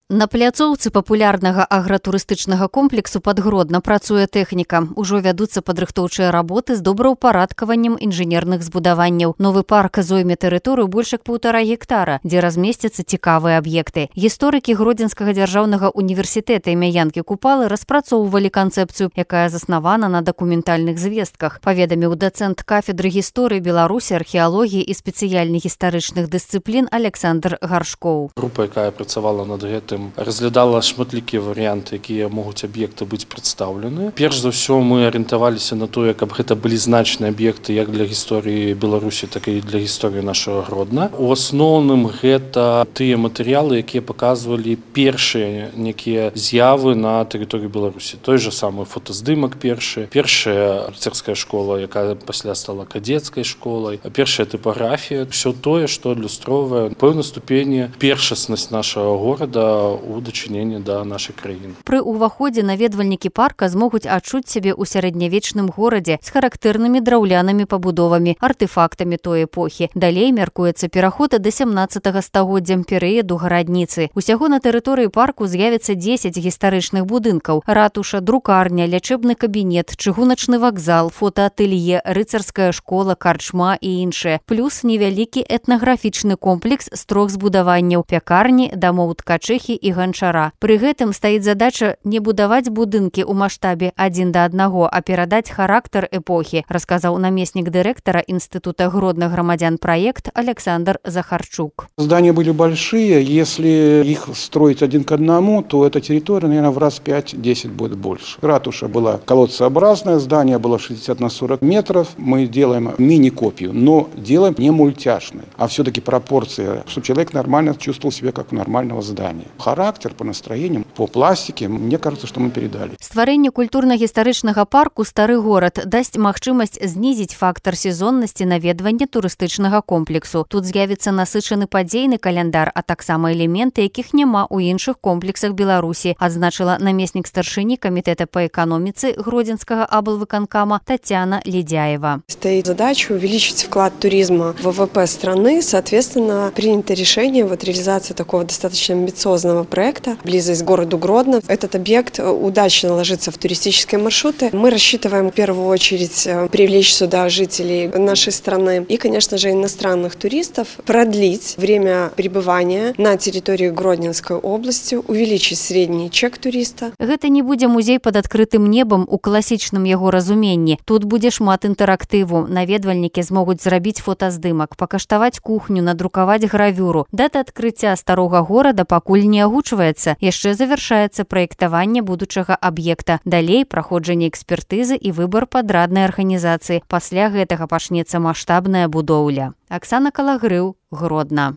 На пляцоўцы папулярнага агратурыстычнага комплексу Падгродна працуе тэхніка. Ужо вядуцца падрыхтоўчыя работы з добраўпарадкаваннем інжынерных збудаванняў. Новы парк зойме тэрыторыю больш як 1,5 гектара, дзе размесцяцца цікавыя аб'екты. Гісторыкі Гродзенскага дзяржаўнага універсітэта імя Янкі Купалы распрацоўвалі канцэпцыю, якая заснавана на дакументальных звестках, паведаміў дацэнт кафедры гісторыі Беларусі, археалогіі і спецыяльных гістарычных дысцыплін Александр Гаршкоў. Група, якая працавала над гэтым, разглядала шматлікія варыянты, якія могуць аб'екты быць прадстаўлены. Перш за ўсё мы арыентаваліся на тое, каб гэта былі значныя аб'екты як для гісторыі Беларусі, так і для гісторыі нашага Гродна. У асноўным гэта тыя матэрыялы, якія паказвалі першыя некія з'явы на тэрыторыі Беларусі. Той жа самы фотаздымак першая арцерская школа, якая пасля стала кадецкай школай, першая тыпаграфія, ўсё тое, што адлюстроўвае пэўнай ступені першаснасць нашага горада у дачыненні да нашай краіны. Пры ўваходзе наведвальнікі парка змогуць адчуць сябе ў сярэднявечным горадзе з характэрнымі драўлянымі пабудовамі, артэфактамі той эпохі. Далей мяркуецца пераход да 17 стагоддзя перыяду гарадніцы. Усяго на тэрыторыі парку з'явіцца 10 гістарычных будынкаў: ратуша, друкарня, лячэбны кабінет, чыгуначны вакзал, фотаатэлье, рыцарская школа, карчма і іншыя. Плюс невялікі этнаграфічны комплекс з 3 збудаванняў: пякарні, дамоў ткачыхі і ганчара. Пры гэтым стаіць задача не будаваць будынкі ў маштабе 1:1, а перадаць характар эпохі, расказаў намеснік дырэктара Інстытута Гродных грамадзян праект Александр Захарчук. Здания были большие, если их строить 1:1, то эта территория, наверное, в раз 5-10 будет больше. Ратуша была колодцеобразное, здание было 60 на 40 метров. Мы делаем мини-копию, но делаем не мультяшной, а все-таки пропорции, чтобы человек нормально чувствовал себя как у нормального здания. Характер по настроениям, по пластике, мне кажется, что мы передали. Стварэнне культурна-гістарычнага парку «Стары горад» дасць магчымасць знізіць фактар сезоннасці наведвання турыстычнага комплексу. Тут з'явіцца насычаны падзейны каляндар, а таксама элементы, якіх няма ў іншых комплексах Беларусі, адзначыла намеснік старшыні камітэта па эканоміцы Гродзенскага аблвыканкама Татьяна Ледяева. Стоит задача увеличить вклад туризма в ВВП страны. Соответственно, принято решение реализации такого достаточно амбициозного проекта «Близость к городу Гродно». Этот объект удачно ложится в туристические маршруты. Мы рассчитываем в первую очередь привлечь сюда жителей нашей страны и, конечно же, иностранных туристов, продлить время пребывания на территории Гродненской области, увеличить средний чек туриста. Гэта не будзе музей пад адкрытым небам у класічным яго разуменні. Тут будзе шмат інтэрактыву. Наведвальнікі змогуць зрабіць фотаздымак, пакаштаваць кухню, надрукаваць гравюру. Дата адкрыцця старога горада пакуль не агучваецца. Яшчэ завяршаецца праектаванне будучага аб'екта. Далей праходжанне экспертызы і выбар падраднай арганізацыі. Пасля гэтага пачнецца маштабная будоўля. Аксана Калагрыў, Гродна.